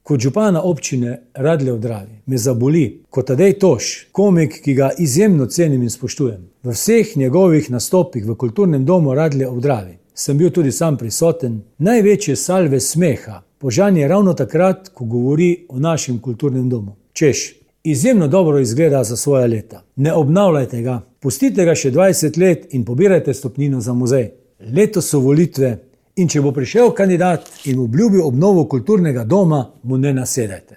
Kot župana občine Radlje ob Dravi me zaboli, kot Tadej Toš, komik, ki ga izjemno cenim in spoštujem. V vseh njegovih nastopih v kulturnem domu Radlje ob Dravi sem bil tudi sam prisoten. Največje salve smeha požanje ravno takrat, ko govori o našem kulturnem domu. Češ, izjemno dobro izgleda za svoja leta. Ne obnavljajte ga, pustite ga še 20 let in pobirajte stopnino za muzej. Letos so volitve in če bo prišel kandidat in obljubil obnovo kulturnega doma, mu ne nasedajte.